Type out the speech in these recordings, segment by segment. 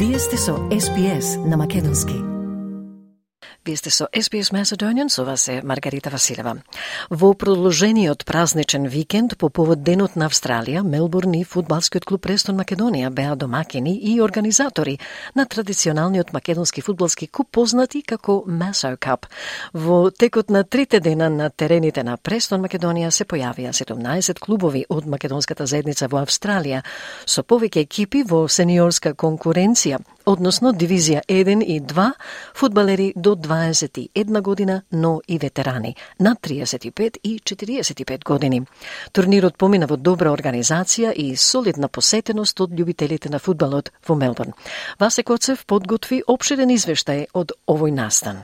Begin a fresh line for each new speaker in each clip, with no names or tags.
Вие сте со SBS на македонски. Вие сте со SBS Macedonian, со вас е Маргарита Василева. Во продолжениот празничен викенд по повод Денот на Австралија, Мелбурн и фудбалскиот клуб Престон Македонија беа домакини и организатори на традиционалниот македонски фудбалски куп познати како Maso Cup. Во текот на 3 дена на терените на Престон Македонија се појавија 17 клубови од македонската заедница во Австралија, со повеќе екипи во сениорска конкуренција, односно дивизија 1 и 2, фудбалери до 21 година, но и ветерани на 35 и 45 години. Турнирот помина во добра организација и солидна посетеност од љубителите на фудбалот во Мелбурн. Васе Коцев подготви опширен извештај од овој настан.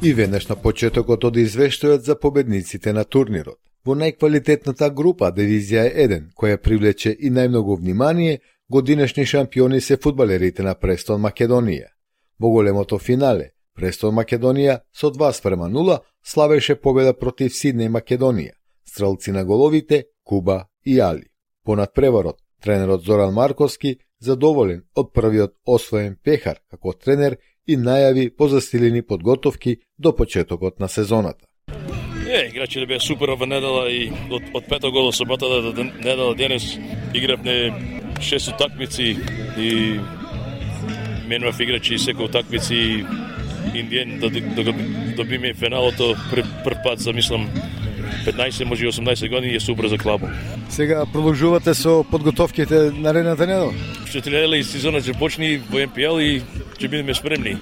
И веднаш на почетокот од извештајот за победниците на турнирот. Во најквалитетната група дивизија 1, која привлече и најмногу внимание, годинешни шампиони се фудбалерите на Престон Македонија. Во големото финале, Престон Македонија со 2:0 славеше победа против Сиднеј Македонија, стрелци на головите Куба и Али. Понад преварот, тренерот Зоран Марковски задоволен од првиот освоен пехар како тренер и најави позастилени подготовки до почетокот на сезоната.
Играчите беа супер ова недела и од пето гол соботата до недела денес игравме 6 утакмици и менував играчи секој утакмици индиен да добиме финалото прв пат за мислам 15 може 18 години е супер за клубот.
Сега продолжувате со подготовките наредната недела?
Што тренерот и сезонот ќе почне во МПЛ и ќе бидеме спремни.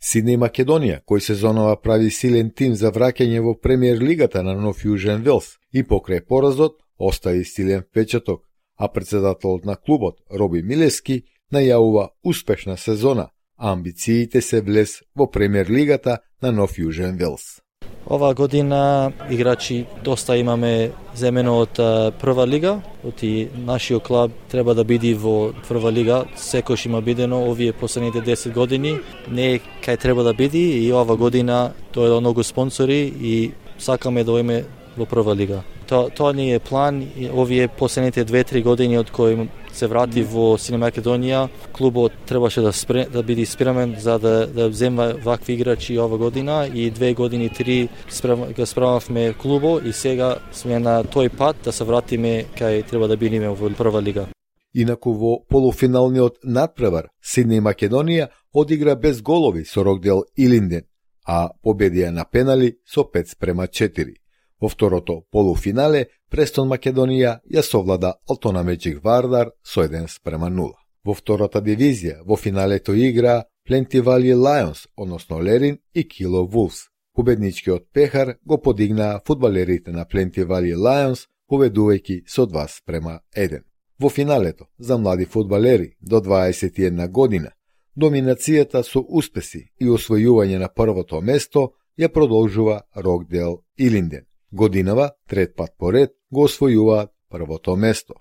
Сиднеј Македонија, кој сезонова прави силен тим за враќање во премиер лигата на Нов Јужен Велс и покрај поразот остави силен впечаток, а председателот на клубот Роби Милески најавува успешна сезона, а амбициите се влез во премиер лигата на Нов Јужен Велс.
Ова година играчи доста имаме земено од прва лига, оти нашиот клуб треба да биде во прва лига, секојаш има бидено овие последните 10 години, не кај треба да биде и ова година тоа е многу спонсори и сакаме да оиме во прва лига. Тоа ни е план и овие последните 2-3 години од кои се врати во Сиднеј Македонија, клубот требаше да биде спремен за да земва вакви играчи ова година и 2 години 3 го справавме клубо и сега сме на тој пат да се вратиме кај треба да бидеме во прва лига.
Инаку во полуфиналниот надпревар Сиднеј Македонија одигра без голови со Рокдел Илинден, а победија на пенали со 5:4. Во второто полуфинале, Престон Македонија ја совлада Алтона Меджик Вардар со 1:0. Во втората дивизија, во финалето игра Пленти Вали Лајонс, односно Лерин и Кило Вулфс. Победничкиот пехар го подигнаа фудбалерите на Пленти Вали Лајонс, победувајќи со 2:1. Во финалето, за млади фудбалери до 21 година, доминацијата со успеси и освојување на првото место ја продолжува Рокдел Илинден. Годинава, трет пат поред, го освојуваат првото место.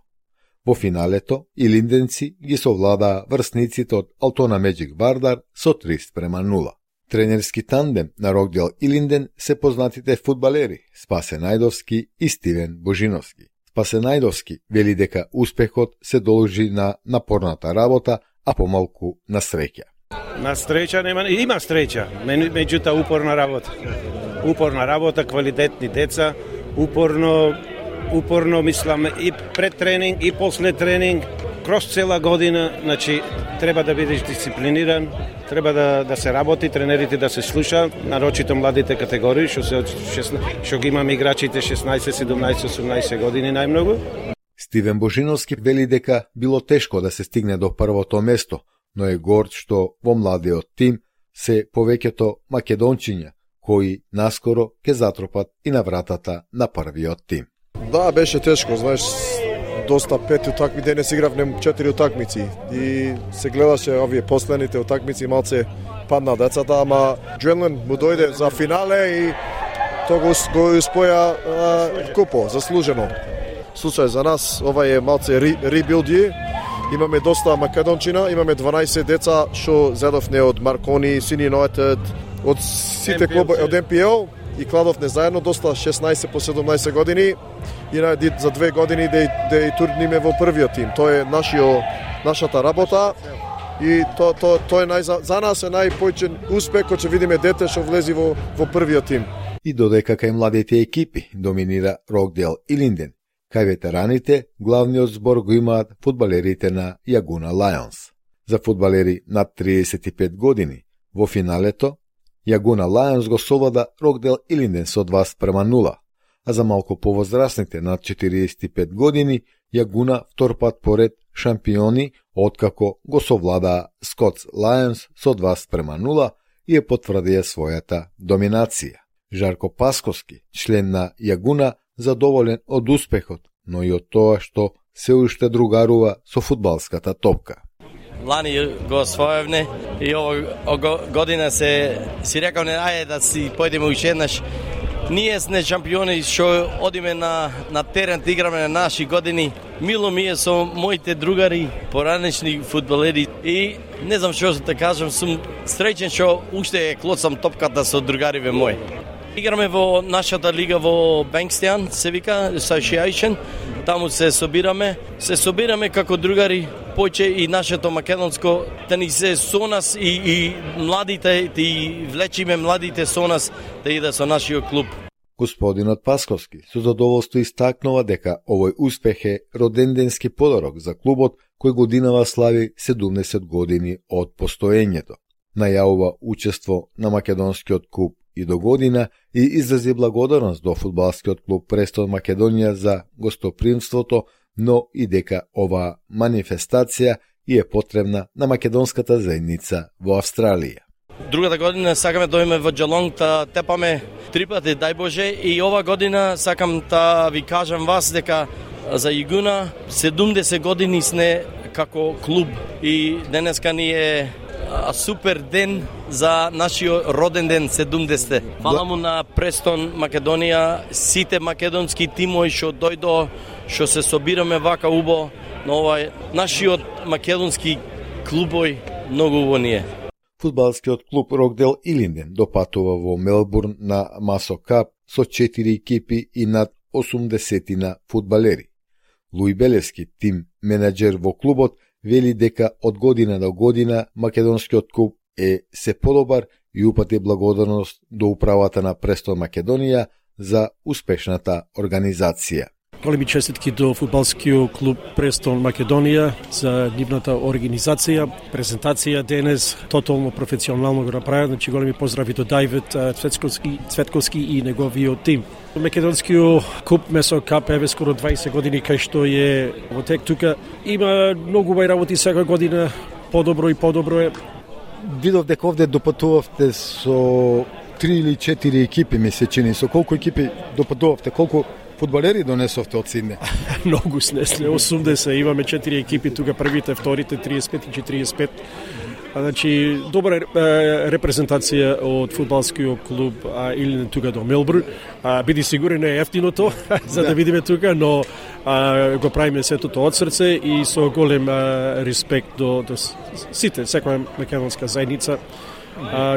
Во финалето, илинденци ги совладаа врсниците од Алтона Меджик Вардар со 3:0. Тренерски тандем на Рокдел Илинден се познатите фудбалери Спасе Најдовски и Стивен Божиновски. Спасе Најдовски вели дека успехот се должи на напорната работа, а помалку на среќа.
На среќа има среќа, меѓутоа упорна работа, квалитетни деца, упорно мислам и пред тренинг и после тренинг, кроз цела година, значи треба да бидеш дисциплиниран, треба да се работи, тренерите да се слушаат, нарочито младите категории, што ги имаме играчите 16, 17, 18 години најмногу.
Стивен Божиновски вели дека било тешко да се стигне до првото место, но е горд што во младиот тим се повеќето македончиња, кои наскоро ќе затропат и на вратата на првиот тим.
Да, беше тешко, знаеш, доста 5 утакми, денес игравме 4 утакмици и се гледаше овие последните утакмици, малце падна децата, ама Джуелен му дојде за финале и тоа го успоја купо, заслужено. Случај за нас, ова е малце ребилди. Имаме доста македончина, имаме 12 деца што зедовне од Маркони, Сини Юнайтед, од сите клубови од МПЛ и кладовне заедно доста 16 по 17 години и за 2 години да и турниме во првиот тим. Тоа е нашата работа и тоа е за нас е најпојчен успех кој ќе видиме дете што влези во првиот тим.
И додека кај младите екипи доминира Рокдейл и Линден, кај ветераните главниот збор го имаат фудбалерите на Јагуна Лајонс. За фудбалери над 35 години во финалето Јагуна Лајонс го совлада Рокдейл и Линден со 2:0, а за малку повозрасните над 45 години Јагуна втор пат поред шампиони откако го совладаа Скотс Лајонс со 2:0 и потврдија својата доминација. Жарко Пасковски, член на Јагуна, задоволен од успехот, но и од тоа што се уште другарува со фудбалската топка.
Лани го освоевме и ова година си рекав ајде да си појдеме уште еднаш. Ние сме шампиони што одиме на терен да играме на наши години. Мило ми е со моите другари, поранешни фудбалери и не знам што да кажам, сум среќен што уште клоцам топката со другариве мои. Играме во нашата лига во Bankstown, се вика Association. Таму се собираме како другари, поќе и нашето македонско да ни се со нас и младите, да влечиме младите со нас да иде со нашиот клуб.
Господинот Пасковски со задоволство истакнува дека овој успех е роденденски подарок за клубот кој годинава слави 70 години од постоењето. Најавува учество на македонскиот клуб и до година и изрази благодарност до фудбалскиот клуб Престон Македонија за гостопримството, но и дека оваа манифестација и е потребна на македонската заедница во Австралија.
Другата година сакаме да дојдеме во Джелонг да тепаме 3 пати, дај Боже, и ова година сакам да ви кажам вас дека за Јагуна 70 години сме како клуб и денеска ни е супер ден за нашиот роден ден 70. Фала му на Престон Македонија, сите македонски тимови што дојдо, што се собираме вака убо на овај нашиот македонски клубој, многу убаво ни е.
Фудбалскиот клуб Рокдейл и Линден допатува во Мелбурн на Масо Кап со 4 екипи и над 80 фудбалери. Луи Белевски, тим менеджер во клубот, вели дека од година до година македонскиот клуб е се подобар и упати благодарност до управата на Престон Македонија за успешната организација.
Големи честитки до фудбалскиот клуб Престон Македонија за нивната организација, презентација денес, тотално професионално го направи. Значи големи поздрави до Дајвид Цветковски и неговиот тим. Македонскиот клуб Масо Кап е скоро 20 години кај што е во тек тука. Има многу убави работи секоја година, подобро и подобро е.
Видов дека овде допатувавте со 3 или 4 екипи, ми се чини. Со колку екипи допатувавте? Колку фудбалери донесовте од Сидне?
Многу снесле, 80, имаме 4 екипи тука, првите, вторите, 35 и 45. Значи, добра репрезентација од фудбалскиот клуб или тука до Мелбурн. Биди сигурен не е ефтиното за да видиме тука, но го правиме сето тоа од срце и со голем респект до сите, секоја македонска заедница,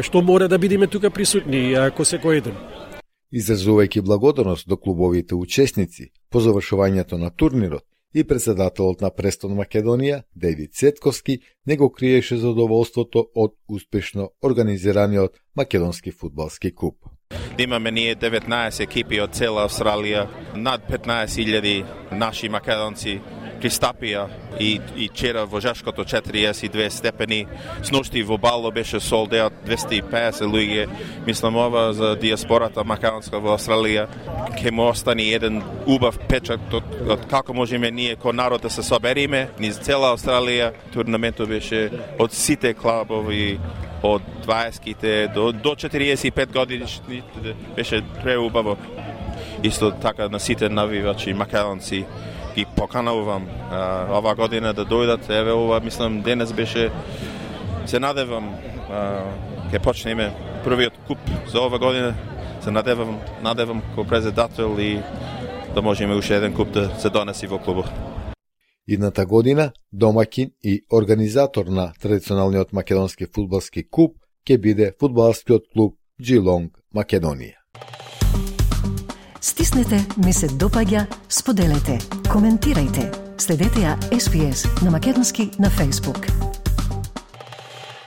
што мора да бидеме тука присутни ко секој еден.
Изразувајќи благодарност до клубовите учесници по завршувањето на турнирот, и председателот на Престон Македонија, Дејвид Цветковски, не го криеше задоволството од успешно организираниот македонски фудбалски клуб.
Имаме ние 19 екипи од цела Австралија, над 15.000 наши македонци пристапија и вчера во Жашкото 42 степени, сношти во Бало беше sold out 250 луѓе. Мислам ова за диаспората македонска во Австралија ќе му остани еден убав печат од како можеме ние ко народ да се собериме низ цела Австралија. Турнаментот беше од сите клубови од 20-ките до 45 годишни, беше преубаво. Исто така на сите навивачи македонци ги поканувам ова година да дојдат. Еве ова, мислам, денес беше, се надевам, ќе почнеме првиот куп за ова година. Се надевам ко председател и да можеме уште еден куп да се донеси во клубот.
Идната година домаќин и организатор на традиционалниот македонски фудбалски клуб ќе биде фудбалскиот клуб Geelong Македонија.
Стиснете, ми се допаѓа, споделете, коментирајте. Следете ја SPS на македонски на Facebook.